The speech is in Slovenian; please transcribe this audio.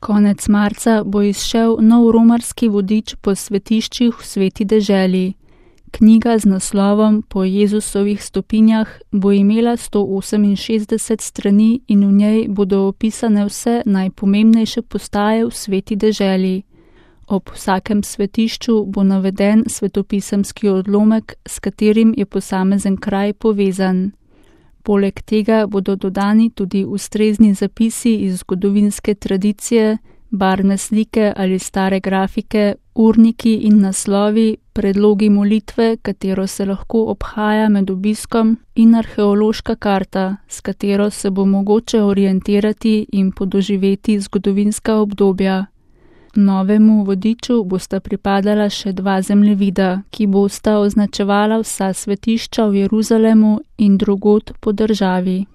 Konec marca bo izšel nov romarski vodič po svetiščih v Sveti deželi. Knjiga z naslovom Po Jezusovih stopinjah bo imela 168 strani in v njej bodo opisane vse najpomembnejše postaje v Sveti deželi. Ob vsakem svetišču bo naveden svetopisemski odlomek, s katerim je posamezen kraj povezan. Poleg tega bodo dodani tudi ustrezni zapisi iz zgodovinske tradicije, barvne slike ali stare grafike, urniki in naslovi, predlogi molitve, katero se lahko obhaja med obiskom, in arheološka karta, s katero se bo mogoče orientirati in podoživeti zgodovinska obdobja. Novemu vodiču bosta pripadala še 2 zemljevida, ki bosta označevala vsa svetišča v Jeruzalemu in drugod po državi.